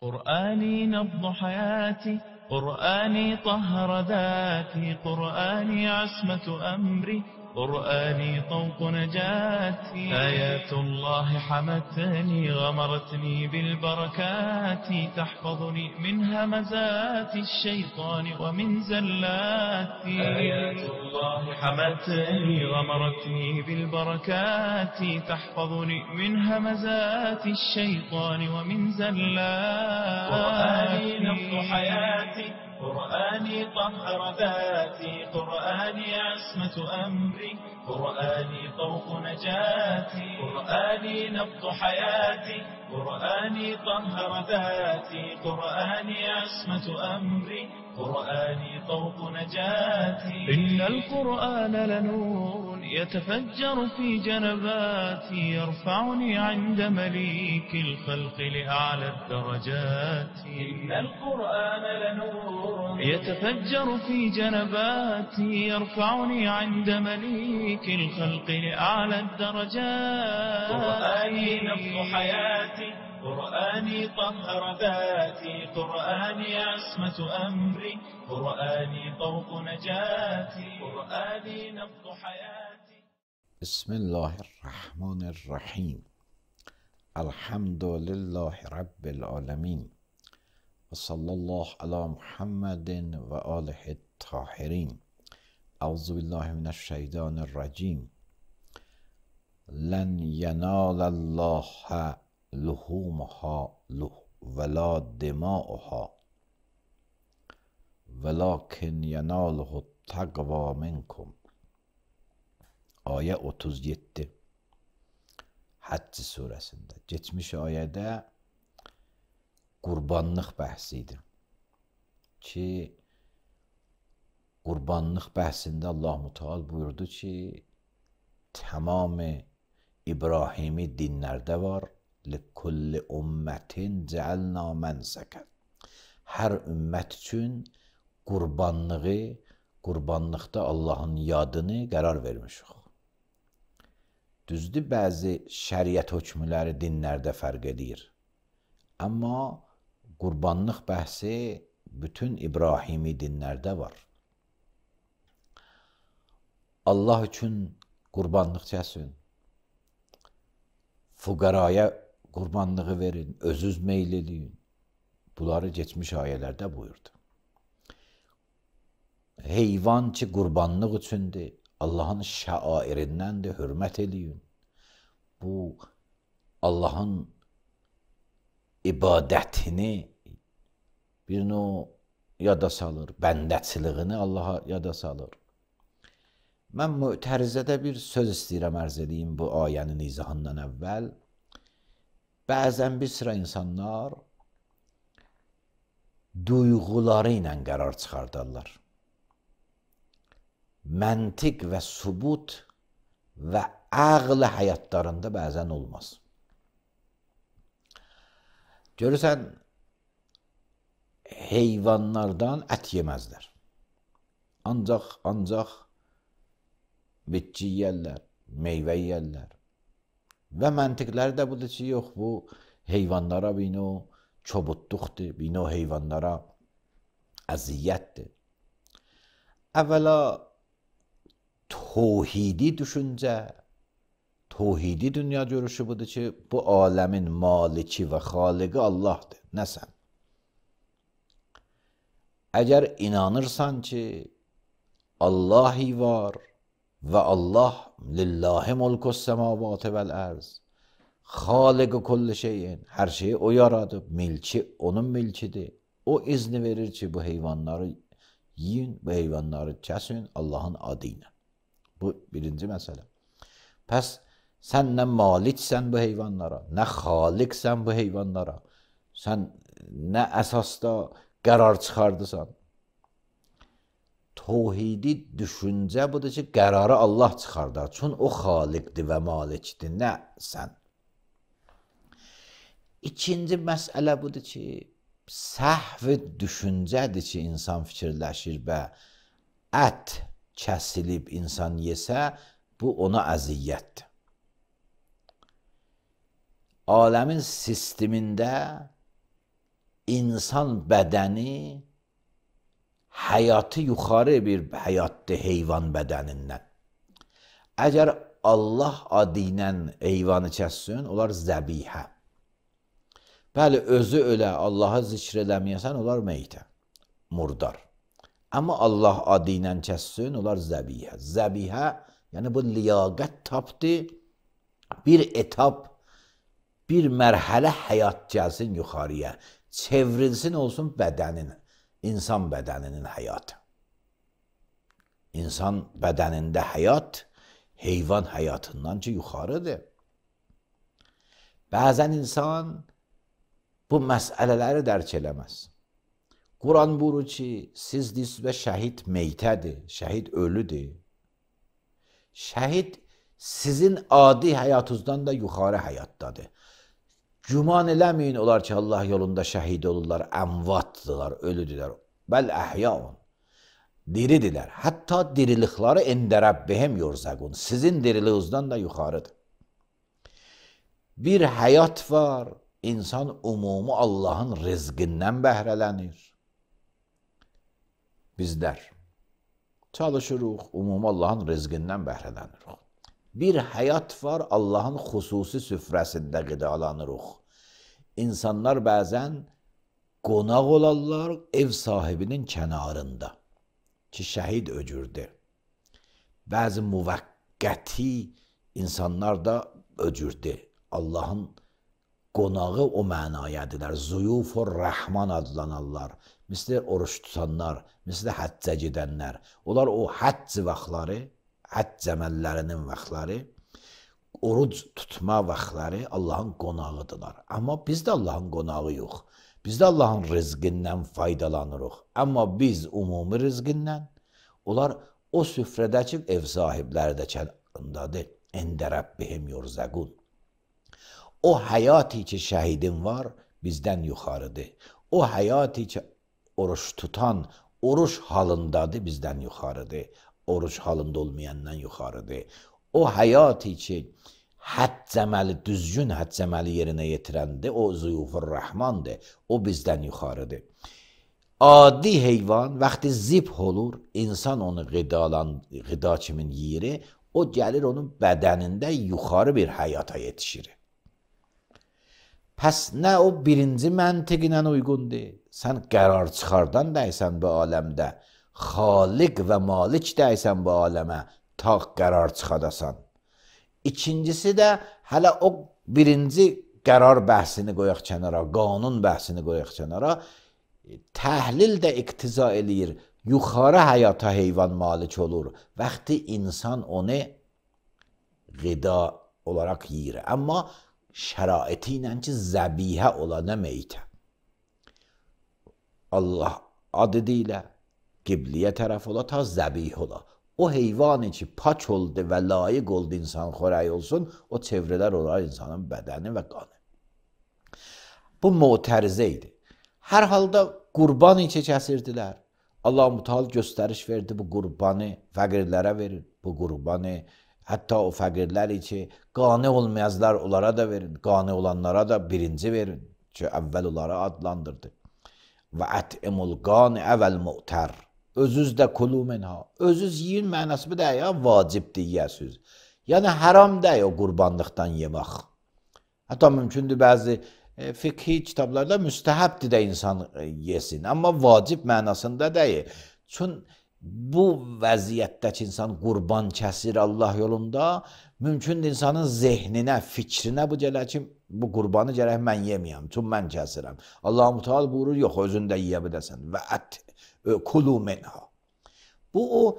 قرآني نبض حياتي، قرآني طهر ذاتي، قرآني عصمة أمري، قرآني طوق نجاتي. آيات الله حمتني غمرتني بالبركات، تحفظني من همزات الشيطان ومن زلاتي. آيات الله حمتني غمرتني بالبركات، تحفظني من همزات الشيطان ومن زلاتي. قرآني نبض حياتي، قرآني طهر ذاتي، قرآني عصمة أمري، قرآني طوق نجاتي. قرآني نبض حياتي، قرآني طهر ذاتي، قرآني عصمة أمري، قرآني طوق نجاتي. إن القرآن لنور يتفجر في جنباتي، يرفعني عند مليك الخلق لأعلى الدرجات. إن القرآن لنور يتفجر في جنباتي، يرفعني عند مليك الخلق لأعلى الدرجات. قرآني نبض حياتي، قرآني طهر ذاتي، قرآني عصمة أمري، قرآني طوق نجاتي. قرآني نبض حياتي. بسم الله الرحمن الرحیم. الحمد لله رب العالمین و صلی الله علی محمد و آله الطاهرین. اعوذ بالله من الشیطان الرجیم. لن ینال الله لحومها ولا دماؤها ولكن یناله التقوی منکم. Ayə 37 Həcc surəsində. Geçmiş ayədə qurbanlıq bəhsi idi ki, qurbanlıq bəhsində Allah-u Teala buyurdu ki, tamam İbrahimi dinlərdə var. لِكُلِّ أُمَّةٍ جَعَلْنَا مَنْسَكًا. Hər ümmət üçün qurbanlıqda Allahın yadını qərar vermişik. Düzdür, bəzi şəriət hökmləri dinlərdə fərq edir. Amma qurbanlıq bəhsi bütün İbrahimi dinlərdə var. Allah üçün qurbanlıq kəsin, fuqaraya qurbanlığı verin, özünüz meyl eləyin. Bunları geçmiş ayələrdə buyurdu. Heyvan ki, qurbanlıq üçündür, Allahın şəairindəndir, hörmət eləyin. Bu, Allahın ibadətini bir növ yada salır, bəndəçiliyini Allaha yada salır. Mən Mü'tərizədə bir söz istəyirəm ərz edeyim bu ayənin izahından əvvəl. Bəzən bir sıra insanlar duyğuları ilə qərar çıxardarlar. Məntiq və sübut və ağl həyatlarında bəzən olmaz. Görürsən, heyvanlardan ət yeməzlər. Ancaq bitki yeyərlər, meyvə yeyərlər. Və məntiqləri də budur ki, yox, bu heyvanlara bir növ çobudluqdur, bir növ heyvanlara əziyyətdir. Əvvəla توحیدی düşüncə, توحیدی dünya görüşü budur ki, bu aləmin maliki və xaliqi Allahdır, nə sən? Əgər inanırsan ki, Allahi var və Allah lillahi mulkus səmavatı vəl ərz, xaliqi kulli şeyin, hər şeyi o yaradıb, milki onun milkidir. O izni verir ki, bu heyvanları yiyin, bu heyvanları kəsin Allahın adı ilə. Bu birinci məsələ. Pəs sən nə maliksən bu heyvanlara, nə xaliqsən bu heyvanlara, sən nə əsasda qərar çıxardısan. Tevhidi düşüncə budur ki, qərarı Allah çıxardar. Çünki o xaliqdir və malikdir, nə sən. İkinci məsələ budur ki, səhv düşüncədir ki, insan fikirləşir və ət kəsilib insan yesə, bu ona əziyyətdir. Aləmin sistemində insan bədəni həyatı yuxarı bir həyatdır heyvan bədənindən. Əgər Allah adı ilə heyvanı kəssin, onlar zəbihə. Bəli, özü ölə, Allahı zikr eləməyəsən, onlar meytə, murdar. Amma Allah adı ilə kəssin, onlar zəbihə. Zəbihə, yəni bu liyaqət tapdı, bir etap, bir mərhələ həyat gəlsin yuxarıya, çevrilsin olsun bədənin, insan bədəninin həyatı. İnsan bədənində həyat, heyvan həyatından ki, yuxarıdır. Bəzən insan bu məsələləri dərk eləməz. Quran buyurur ki, siz deyirsiniz və şəhid meytədir, şəhid ölüdür. Şəhid sizin adi həyatınızdan da yuxarı həyatdadır. Güman eləməyin olar ki, Allah yolunda şəhid olurlar, əmvatdırlar, ölüdürlər. Bəl əhyaun, diridirlər. Hətta dirilikləri ində Rəbbihim yurzəqun. Sizin diriliğinizdən da yuxarıdır. Bir həyat var, insan umumi Allahın rizqindən bəhrələnir. Bizlər çalışırıq, umumi Allahın rizqindən bəhrələnirik. Bir həyat var, Allahın xüsusi süfrəsində qidalanırıq. İnsanlar bəzən qonaq olarlar ev sahibinin kənarında ki, şəhid öcürdür. Bəzi müvəqqəti insanlar da öcürdür. Allahın qonağı o mənayədirlər. Zuyufur Rəhman adlanarlar. Misli oruç tutanlar, misli həccə gedənlər. Onlar o həcc vaxtları, həcc əməllərinin vaxtları, oruc tutma vaxtları Allahın qonağıdırlar. Amma biz də Allahın qonağı yox. Biz də Allahın rizqindən faydalanırıq. Amma biz umumi rizqindən, onlar o süfrədəki ev sahibləri də kənarındadır. Əndə Rəbbihim yurzəqun. O həyatı ki, şəhidin var, bizdən yuxarıdır. O həyatı ki, oruç tutan, oruç halındadır, bizdən yuxarıdır. Oruç halında olmayandan yuxarıdır. O həyatı ki, həcc əməli, düzgün həcc əməli yerinə yetirəndir, o zuyufur Rəhmandır, o bizdən yuxarıdır. Adi heyvan, vaxtı zibh olur, insan onu qida kimin yeri, o gəlir onun bədənində yuxarı bir həyata yetişir. Pəs nə o birinci məntiqinə uyğundur? Sən qərar çıxardan dəysən bu aləmdə, xaliq və malik dəysən bu aləmə, ta qərar çıxadasan. İkincisi də, hələ o birinci qərar bəhsini qoyaq kənara, qanun bəhsini qoyaq kənara, təhlil də iqtiza eləyir, yuxarı həyata heyvan malik olur. Vaxtı insan onu qida olaraq yiyir. Amma şəraiti ilə ki, zəbihə ola, nə meytə. Allah adı deyilə, qibliyə tərəf ola, ta zəbih ola. O heyvanı ki, pak oldu və layiq oldu insan xörəyi olsun, o çevrələr olar insanın bədəni və qanı. Bu mütərizə idi. Hər halda qurban içi kəsirdilər. Allah-u Teala göstəriş verdi, bu qurbanı fəqirlərə verin, bu qurbanı hətta o fəqirlər ki, qani olmayazlar, onlara da verin, qani olanlara da birinci verin ki, əvvəl onlara adlandırdı. Və ət'imul qani əvəl mu'tər. Özüz də kulu minha. Özüz yiyin mənası bu da ya, vacibdir yiyəsiz. Yəni, haram deyil o qurbanlıqdan yemək. Hətta mümkündür bəzi fiqhi kitablarda müstəhəbdir də insan yesin. Amma vacib mənasında deyil. Çünki bu vəziyyətdəki insan qurban kəsir Allah yolunda, mümkündür insanın zehninə, fikrinə bu gələr ki, bu qurbanı gərək mən yeməyəm, çünki mən kəsirəm. Allah-u Teala buyurur, yox, özün də yiyə biləsən. Və kulu minha. Bu, o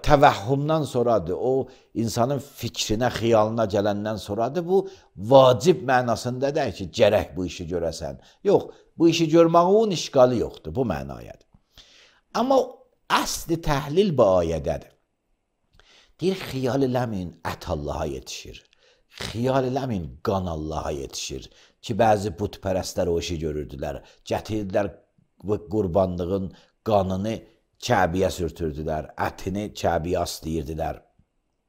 təvəhhümdən sonradır, o insanın fikrinə, xiyalına gələndən sonradır, bu vacib mənasında deyil ki, gərək bu işi görəsən. Yox, bu işi görməyin işqalı yoxdur, bu mənayədir. Amma əsli təhlil bu ayədədir. Deyir, xiyal eləməyin, ət Allaha yetişir. Xiyal eləməyin, qan Allaha yetişir. Ki, bəzi putpərəstlər o işi görürdülər. Gətirdilər qurbanlığın qanını Kəbiyə sürtürdülər, ətini Kəbiyə aslayırdılar.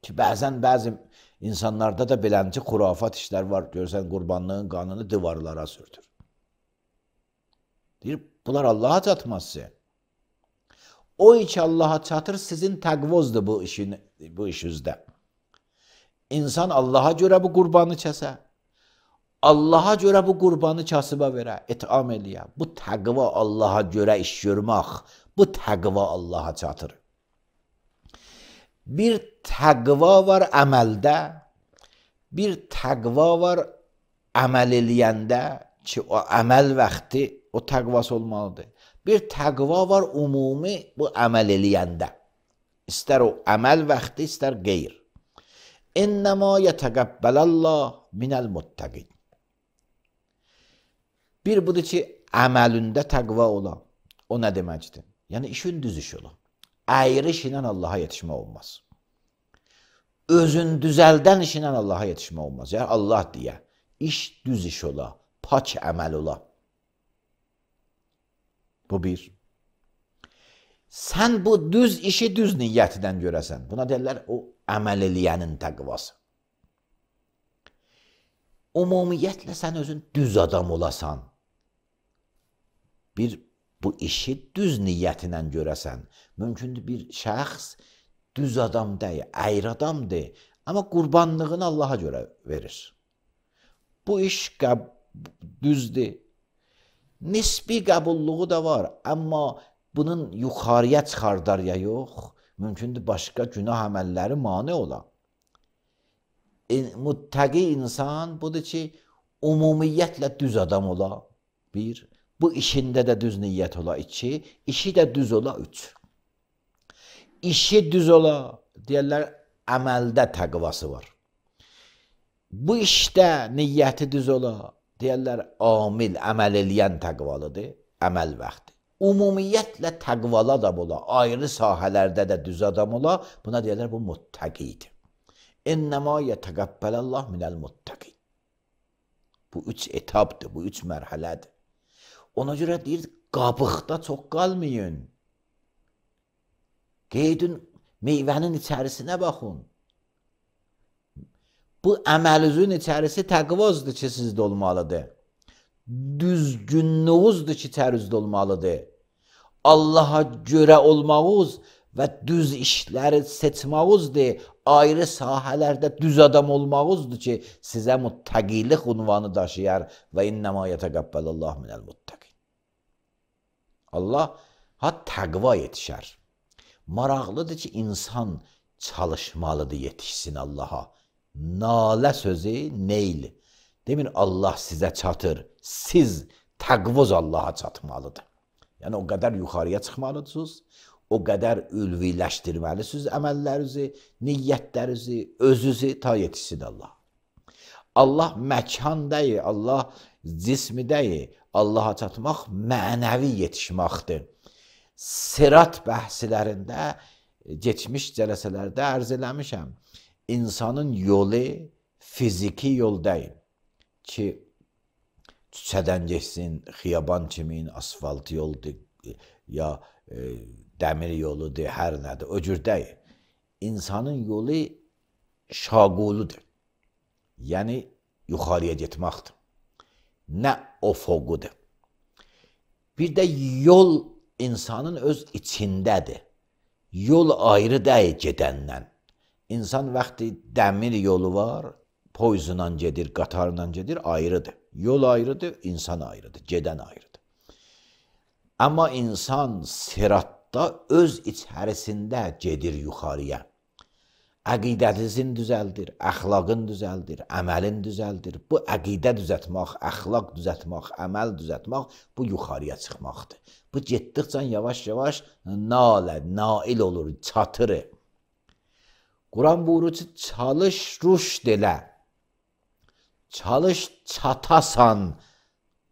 Ki, bəzən bəzi insanlarda da belənci xurafat işlər var. Görsən, qurbanlığın qanını divarlara sürtür. Deyir, bunlar Allaha çatmazsa. O iki Allaha çatır, sizin təqvozdur bu işinizdə. İnsan Allaha görə bu qurbanı kəsə, Allaha görə bu qurbanı kasıba verə, etam eləyə. Bu təqva Allaha görə iş görmək, bu təqva Allaha çatır. Bir təqva var əməldə, bir təqva var əməl eləyəndə ki, o əməl vaxtı o təqvası olmalıdır. Bir təqva var ümumi bu əməl eləyəndə. İstər o əməl vaxtı, istər qeyr. İnnəmə yətəqəbbələllah minəl muttəqin. Bir budur ki, əməlində təqva ola. O nə deməkdir? Yəni, işin düz iş ola. Əyri işlə Allaha yetişmək olmaz. Özün düzəldən işlə Allaha yetişmək olmaz. Yəni, Allah deyə, iş düz iş ola, pak əməl ola. Bu bir. Sən bu düz işi düz niyyətindən görəsən. Buna deyirlər, o əməl eləyənin təqvası. Ümumiyyətlə, sən özün düz adam olasan. Bir, bu işi düz niyyətinlə görəsən. Mümkündür bir şəxs düz adam deyil, əyri adamdır. Amma qurbanlığını Allaha görə verir. Bu iş düzdür. Nisbi qəbulluğu da var. Amma bunun yuxarıya çıxardar ya yox. Mümkündür başqa günah əməlləri mane ola. Muttəqi insan budur ki, ümumiyyətlə düz adam ola. Bir, bu işində də düz niyyət ola. İki, işi də düz ola. Üç. İşi düz ola, deyərlər, əməldə təqvası var. Bu işdə niyyəti düz ola, deyərlər, amil, əməl eləyən təqvalıdır, əməl vaxtı. Ümumiyyətlə təqvala da ola, ayrı sahələrdə də düz adam ola, buna deyərlər, bu muttəqidir. İnnəmə yətəqəbbələllah minəl muttəqin. Bu üç etapdır, bu üç mərhələdir. Ona görə deyir, qabıqda çox qalmayın. Qeydin meyvənin içərisinə baxın. Bu əməlüzün içərisi təqvazdır ki, sizdə olmalıdır. Düzgünlüğünüzdür ki, içərizdə olmalıdır. Allaha görə olmağınız və düz işləri seçmağınızdır. Ayrı sahələrdə düz adam olmağınızdır ki, sizə muttəqilik unvanı daşıyar və innəmə yətəqəbbələllah minəl muttəqin. Allah təqva yetişər. Maraqlıdır ki, insan çalışmalıdır yetişsin Allaha. Nalə sözü neyl. Demin Allah sizə çatır. Siz təqvoz Allaha çatmalıdır. Yəni o qədər yuxarıya çıxmalısınız, o qədər ülviləşdirməlisiniz əməllərinizi, niyyətlərinizi, özünüzü ta yetişsin Allah. Allah məkan deyil, Allah cismi deyil. Allaha çatmaq mənəvi yetişməkdir. Sirat bəhslərində, geçmiş cələsələrdə ərz eləmişəm. İnsanın yolu fiziki yol deyil ki, küçədən geçsin, xiyaban kimin, asfalt yoldur, ya dəmir yoludur, hər nədir, o cür deyil. İnsanın yolu şaquludur. Yəni, yuxarıya getməkdir. Nə ofoqudur. Bir də yol insanın öz içindədir. Yol ayrı deyil gedəndən. İnsan vaxtı dəmir yolu var, poyzunla gedir, qatarla gedir, ayrıdır. Yol ayrıdır, insan ayrıdır, gedən ayrıdır. Amma insan siratda öz içərisində gedir yuxarıya. Əqidənizin düzəldir, əxlaqın düzəldir, əməlin düzəldir. Bu əqidə düzəltmək, əxlaq düzəltmək, əməl düzəltmək, bu yuxarıya çıxmaqdır. Bu getdikcə yavaş-yavaş nail olur, çatır. Quran buyurur ki, çalış, rüşd elə. Çalış, çatasan.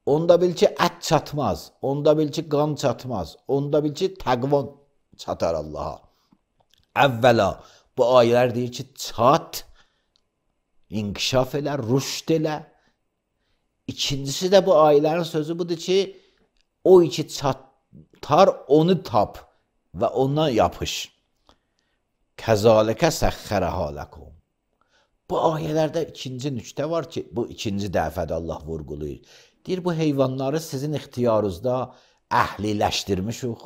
Onda bil ki, ət çatmaz. Onda bil ki, qan çatmaz. Onda bil ki, təqvan çatar Allaha. Əvvəla, bu ayələr deyir ki, çat, inkişaf elə, rüşd elə. İkincisi də bu ayələrin sözü budur ki, o iki çatar, onu tap və ona yapış. Kəzalikə səxxərəhə ləkum. Bu ayələrdə ikinci nüqtə var ki, bu ikinci dəfədə Allah vurğulayır. Deyir, bu heyvanları sizin ixtiyarınızda əhliləşdirmişik.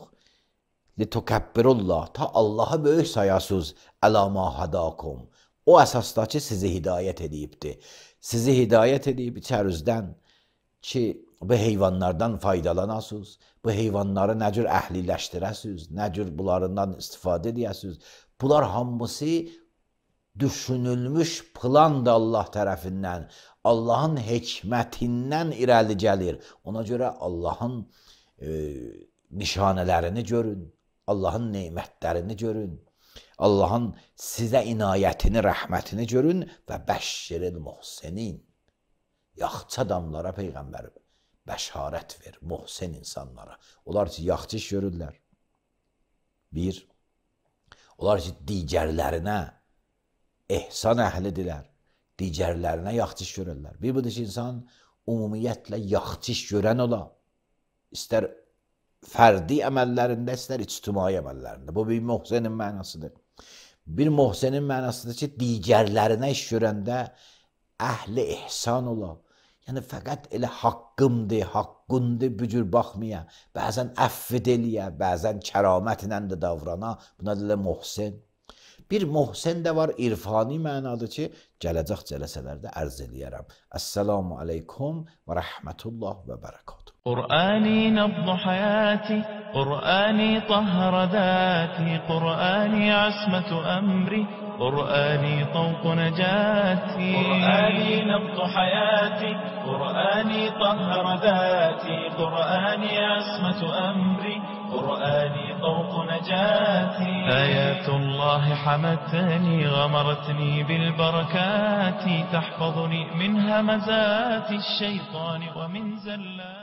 Litukabbirullah, ta Allah'a böyük sayasız, əla ma hadakum. O əsasda ki, sizi hidayət edibdir. Sizi hidayət edib içərizdən ki, bu heyvanlardan faydalanasınız, bu heyvanları nə cür əhliləşdirəsiniz, nə cür bunlarından istifadə edəsiniz. Bunlar hamısı düşünülmüş plandır Allah tərəfindən, Allahın hikmətindən irəli gəlir. Ona görə Allahın nişanələrini görün, Allahın neymətlərini görün, Allahın sizə inayətini, rəhmətini görün və bəşşiril muhsinin. Yaxçı adamlara Peyğəmbər bəşarət ver, muhsin insanlara. Onlar ki, yaxçı iş görürlər. Bir, onlar ki, digərlərinə ehsan əhlidirlər, digərlərinə yaxçı iş görürlər. Bir budur ki, insan ümumiyyətlə yaxçı iş görən ola, istər fərdi əməllərində, istər ictimai əməllərində. Bu bir muhsinin mənasıdır. Bir muhsinin mənasıdır ki, digərlərinə iş görəndə əhli ihsan ola. Yəni, fəqət elə haqqımdır, haqqundur, bu cür baxmaya, bəzən əffid eləyə, bəzən kəramətlə də davrana, buna deyilə muhsin. Bir muhsin də var, irfani mənadır ki, gələcək cələsələrdə ərz eləyərəm. Əssalamu aleykum və rəhmətullah və bərəkatuhu. قرآني نبض حياتي، قرآني طهر ذاتي، قرآني عصمة أمري، قرآني طوق نجاتي. قرآني نبض حياتي، قرآني طهر ذاتي، قرآني عصمة أمري، قرآني طوق نجاتي. آيات الله حمتني، غمرتني بالبركات، تحفظني من همزات الشيطان ومن زلات